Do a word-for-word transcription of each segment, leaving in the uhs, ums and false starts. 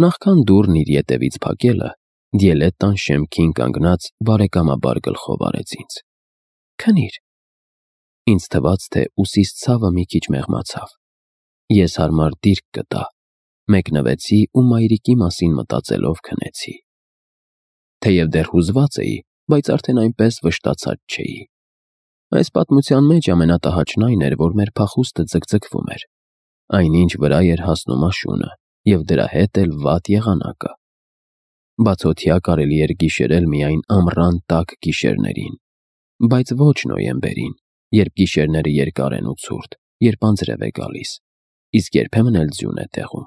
Նախքան դուռն իր ետևից փակելը, Դիելետտան շեմքին կանգնած բարեկամաբար գլխով արեց ինձ. «Քնիր»։ Ինձ թվաց, թե ուսիս ցավը մի քիչ մեղմացավ։ Ես հարմար դիրք գտա, մեկնվեցի ու մայրիկի մասին մտածելով քնեցի։ Թեև դեռ հուզված էի, բայց արդեն այնպես վշտացած չէի։ Այս պատմության մեջ ամենատհաճն այն էր, որ մեր փախուստը ձգձգվում էր։ Այնինչ վրա էր հասնում աշունը, և դրա հետ էլ վատ եղանակը։ Բացօթյա կարելի էր գիշերել միայն ամռան տաք գիշերներին, բայց ոչ նոյեմբերին, երբ գիշերները երկար են ու ցուրտ, երբ անձրև է գալիս, իսկ երբեմն էլ ձյուն է տեղում։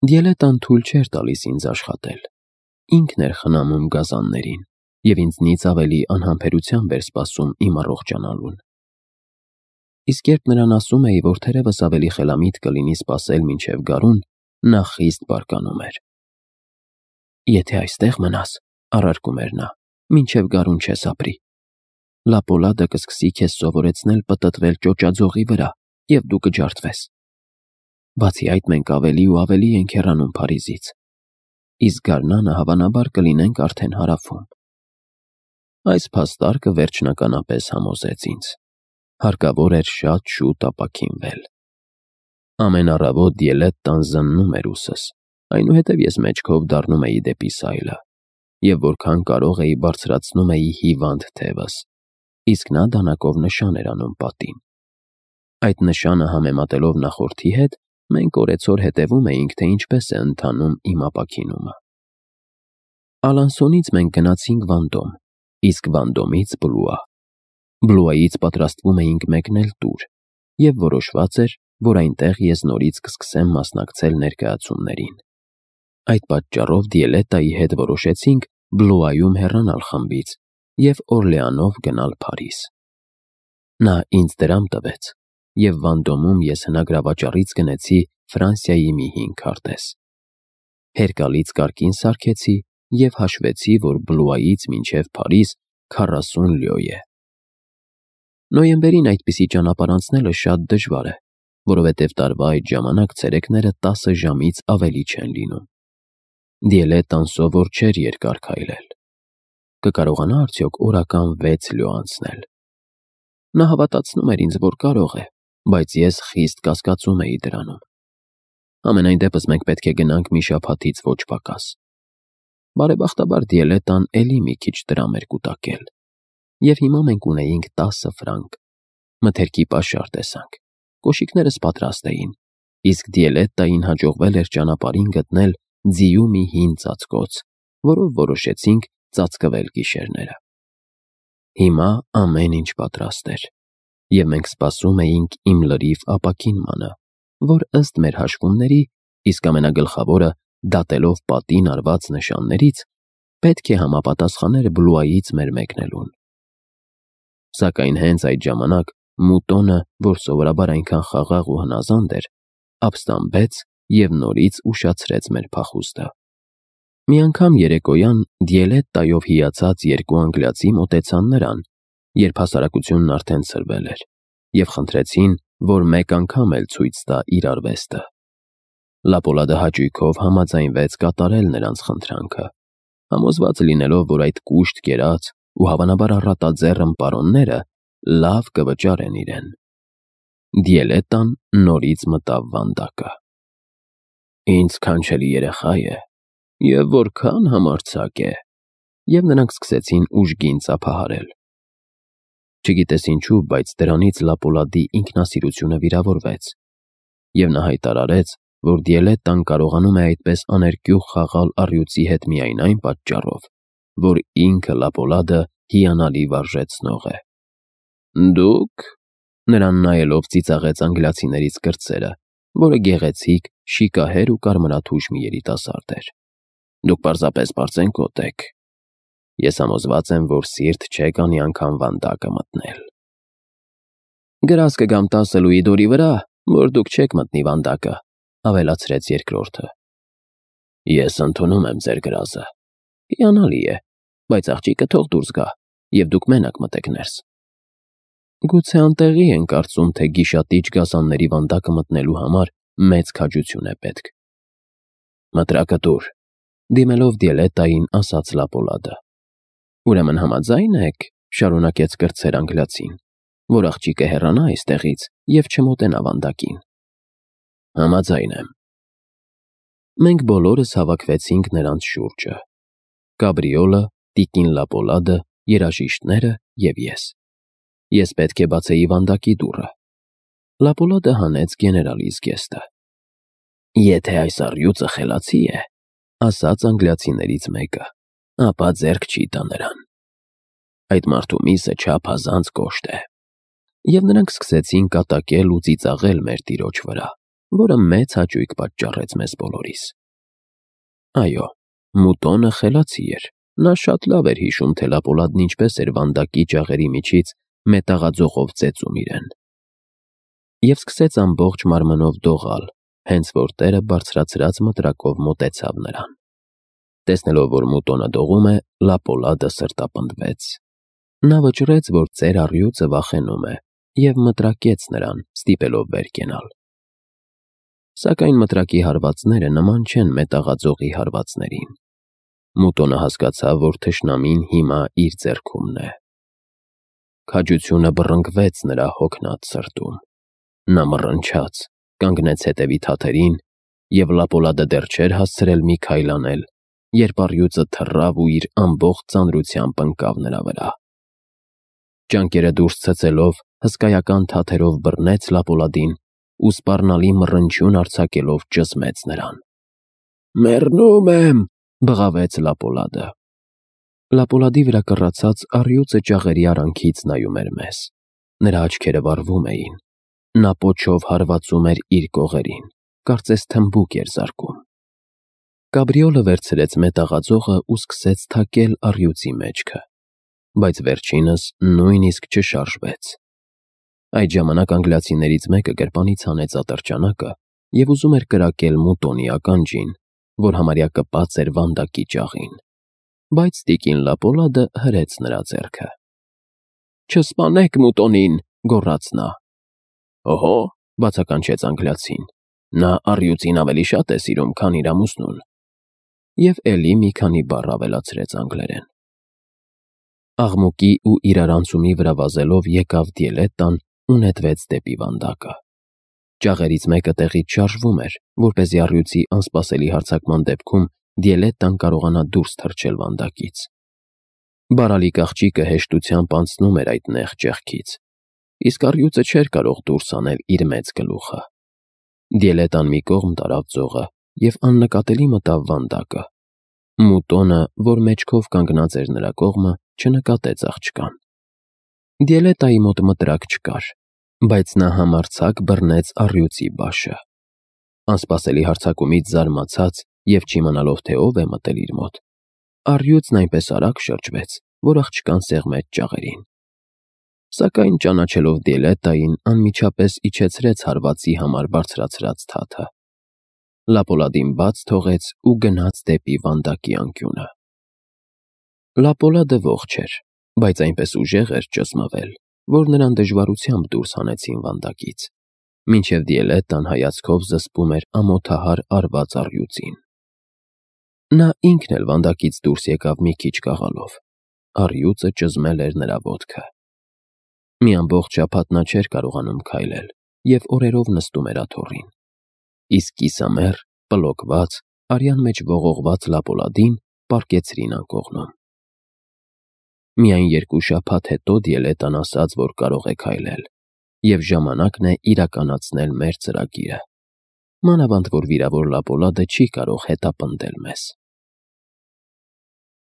Դիելետտան թույլ չէր տալիս ինձ աշխատել։ Ինքն էր խնամում գազաններին, և ինձնից ավելի անհամբերությամբ էր սպասում իմ առողջանալուն։ Իսկ երբ նրան ասում էի, որ թերևս ավելի խելամիտ կլինի սպասել մինչև գարուն, նա խիստ բարկանում էր։ «Եթե այստեղ մնաս, ֊ առարկում էր նա, ֊ մինչև գարուն չես ապրի։ Լապոլադը կսկսի քեզ սովորեցնել պտտվել ճոճաձողի վրա, և դու կջարդվես։ Բացի այդ, մենք ավելի ու ավելի ենք հեռանում Փարիզից, իսկ գարնանը հավանաբար կլինենք արդեն հարավում»։ Այս փաստարկը վերջնականապես համոզեց ինձ. հարկավոր էր շատ շուտ ապաքինվել։ Ամեն առավոտ Դիելետտան զննում էր ուսս, այնուհետև ես մեջքով դառնում էի դեպի սայլը, և որքան կարող էի բարձրացնում էի հիվանդ թևս, իսկ նա դանակով նշան էր անում պատին։ Այդ նշանը համեմատելով նախորդի հետ, մենք օրեցօր հետևում էինք, թե ինչպես է ընթանում իմ ապաքինումը։ Ալանսոնից մենք գնացինք Վանդոմ, իսկ Վանդոմից Բլուա։ Բլուայից պատրաստվում էինք մեկնել տուր, և որոշված էր, որ այնտեղ ես նորից կսկսեմ մասնակցել ներկայացումներին։ Այդ պատճառով Դիելետտայի հետ որոշեցինք Բլուայում հեռանալ խմբից և Օրլեանով գնալ Փարիզ։ Նա ինձ դրամ տվեց, և Վանդոմում ես հնագրավաճառից գնեցի Ֆրանսիայի մի հին քարտեզ։ Հերկալից կարգին սարքեցի և հաշվեցի, որ Բլուայից մինչև Փարիզ քառասուն լյո է։ Նոյեմբերին այդպիսի ճանապարհ անցնելը շատ դժվար է, որովհետև տարվա այդ ժամանակ ցերեկները տասը ժամից ավելի չեն լինում։ Դիելետտան սովոր չէր երկար քայլել։ Կկարողանա՞ արդյոք օրական վեց լյո անցնել։ Նա հավատացնում էր ինձ, որ կարող է, բայց ես խիստ կասկածում էի դրանում։ Համենայն դեպս մենք պետք է գնանք մի շաբաթից ոչ պակաս։ Բարեբախտաբար Դիելետտան էլի մի քիչ դրամ էր կուտակել, և հիմա մենք ունեինք տասը ֆրանկ։ Մթերքի պաշար տեսանք, կոշիկներս պատրաստ էին, իսկ Դիելետտային հաջողվել էր ճանապարհին գտնել ձիու մի հին ծածկոց, որով որոշեցինք ծածկվել գիշերները։ Հիմա ամեն ինչ պատրաստ էր, և մենք սպասում էինք իմ լրիվ ապաքինմանը, որ ըստ մեր հաշվումների, իսկ ամենագլխավորը դատելով պատին արված նշաններից, պետք է համապատասխաներ Բլուայից մեր մեկնելուն։ Սակայն հենց այդ ժամանակ Մուտոնը, որ սովորաբար այնքան խաղաղ ու հնազանդ էր, ապստամբեց և նորից ուշացրեց մեր փախուստը։ Մի անգամ երեկոյան Դիելետտայով հիացած երկու անգլիացի մոտեցան նրան, երբ հասարակությունն արդեն ցրվել էր, և խնդրեցին, որ մեկ անգամ էլ ցույց տա իր արվեստը։ Լապոլադը հաճույքով համաձայնվեց կատարել նրանց խնդրանքը, համոզված լինելով, որ այդ կուշտ կերած ու հավանաբար առատաձեռն պարոնները լավ կվճարեն իրեն։ Դիելետտան նորից մտավ վանդակը։ «Ինձ քանչելի երեխա է, և որքան համարձակ է», և նրանք սկսեցին ուժգին ծափահարել։ Չգիտես ինչու, բայց դրանից Լապոլադի ինքնասիրությունը վիրավորվեց, և նա հայտարարեց, որ Դիելետտան կարողանում է այդպես աներկյուղ խաղալ առյուծի հետ միայն այն պատճառով, որ ինքը Լապոլադը հիանալի վարժեցնող է։ «Դուք», նրան նայելով ծիծաղեց անգլիացիներից կրտսերը, որը գեղեցիկ, շիկահեր ու կարմրաթուշ մի երիտասարդ էր, «դուք պարզապես պարծենկոտ եք։ Ես համոզված եմ, որ սիրտ չեք անի անգամ վանդակը մտնել»։ «Գրազ կգամ տասը լուի դորի վրա, որ դուք չեք մտնի վանդակը», ավելացրեց երկրորդը։ «Ես ընդունում եմ ձեր գրազը։ Հիանալի է, բայց աղջիկը թող դուրս գա, և դուք մենակ մտեք ներս»։ Գուցե անտեղի են կարծում, թե գիշատիչ գազանների վանդակը մտնելու համար մեծ քաջություն է պետք։ Մտրակը տուր, դիմելով Դիելետային ասաց Լապոլադը։ Ուրեմն համաձայն եք, շարունակեց կրտսեր անգլիացին, որ աղջիկը հեռանա այստեղից և չմոտենա վանդակին։ Համաձայն եմ։ Մենք բոլորս հավաքվեցինք նրանց շուրջը. Գաբրիոլը, տիկին Լապոլադը, երաժիշտները և ես։ Ես պետք է բացեի վանդակի դուռը։ Լապոլադը հանեց գեներալի զգեստը։ Եթե այս առյուծը խելացի է, ասաց անգլիացիներից մեկը, ապա ձեռք չի տա նրան։ Այդ մարդու միսը չափազանց կոշտ է։ Եվ նրանք սկսեցին կատակել ու ծիծաղել մեր տիրոջ վրա, որը մեծ հաճույք պատճառեց մեզ բոլորիս։ Այո, Մուտոնը խելացի էր, նա շատ լավ էր հիշում, թե Լապոլադն ինչպես էր վանդակի ջաղերի միջից մետաղաձողով ծեծում իրեն։ Եվ սկսեց ամբողջ մարմնով դողալ, հենց որ տերը բարձրացրած մտրակով մոտեցավ նրան։ Տեսնելով, որ Մուտոնը դողում է, Լապոլադը սրտապնդվեց։ Նա վճռեց, որ ծեր առյուծը վախենում է, և մտրակեց նրան, ստիպելով վեր կենալ։ Սակայն մտրակի հարվածները նման չեն մետաղաձողի հարվածներին։ Մուտոնը հասկացավ, որ թշնամին հիմա իր ձեռքումն է։ Քաջությունը բռնկվեց նրա հոգնած սրտում։ Նա մռնչաց, կանգնեց հետևի թաթերին, և Լապոլադը դեռ չէր հասցրել մի քայլ անել, երբ առյուծը թռավ ու իր ամբողջ ծանրությամբ ընկավ նրա վրա։ Ճանկերը դուրս ցցելով, հսկայական թաթերով բռնեց Լապոլադին ու սպառնալի մռնչյուն արձակելով ճզմեց նրան։ «Մեռնում եմ», բղավեց Լապոլադը։ Լապոլադի վրա կռացած առյուծը ջաղերի արանքից նայում էր մեզ։ Նրա աչքերը վառվում էին։ Նա պոչով հարվածում էր իր կողերին, կարծես թմբուկ էր զարկում։ Գաբրիոլը վերցրեց մետաղաձողը ու սկսեց թակել առյուծի մեջքը, բայց վերջինս նույնիսկ չշարժվեց։ Այդ ժամանակ անգլիացիներից մեկը գրպանից հանեց ատրճանակը և ուզում էր կրակել Մուտոնի ականջին, որ համարյա կպած էր վանդակի ջաղին, բայց տիկին Լապոլադը հրեց նրա ձեռքը։ «Չսպանեք Մուտոնին», գոռաց նա։ «Օհո», բացականչեց անգլիացին, «նա առյուծին ավելի շատ է սիրում, քան իր ամուսնուն»։ Եվ էլի մի քանի բառ ավելացրեց անգլերեն։ Աղմուկի ու իրարանցումի վրա վազելով եկավ Դիելետան ու նետվեց դեպի վանդակը։ Ջաղերից մեկը տեղից շարժվում էր, որպեսզի առյուծի անսպասելի հարձակման դեպքում Դիելետան կարողանա դուրս թռչել վանդակից։ Բարալիկ աղջիկը հեշտությամբ անցնում էր այդ նեղ ճեղքից, իսկ առյուծը չէր կարող դուրս հանել իր մեծ գլուխը։ Դիելետան մի կողմ տարավ ձողը և աննկատելի մտավ վանդակը։ Մուտոնը, որ մեջքով կանգնած էր նրա կողմը, չնկատեց աղջկան։ Դիելետայի մոտ մտրակ չկար, բայց նա համարձակ բռնեց առյուծի բաշը։ Անսպասելի հարձակումից զարմացած և չիմանալով, թե ով է մտել իր մոտ, առյուծն այնպես արագ շրջվեց, որ աղջկան սեղմեց ջաղերին։ Սակայն ճանաչելով Դիելետային, անմիջապես իջեցրեց հարվածի համար բարձրացրած թաթը։ Լապոլադին բաց թողեց ու գնաց դեպի վանդակի անկյունը։ Լապոլադը ողջ էր, բայց այնպես ուժեղ էր ճզմվել, որ նրան դժվարությամբ դուրս հանեցին վանդակից, մինչև Դիելետան հայացքով զսպում էր ամոթահար արված առյուծին։ Նա ինքն էլ վանդակից դուրս եկավ մի քիչ կաղալով։ Առյուծը ճզմել էր նրա ոտքը։ Մի ամբողջ շաբաթ նա չէր կարողանում քայլել և օրերով նստում էր աթոռին։ Իսկ կիսամեռ, պլոկված, արյան մեջ ողողված Լապոլադին պառկեցրին անկողնում։ Միայն երկու շաբաթ հետո Դիելետան ասաց, որ կարող է քայլել, և ժամանակն է իրականացնել մեր ծրագիրը, մանավանդ որ վիրավոր Լապոլադը չի կարող հետապնդել մեզ։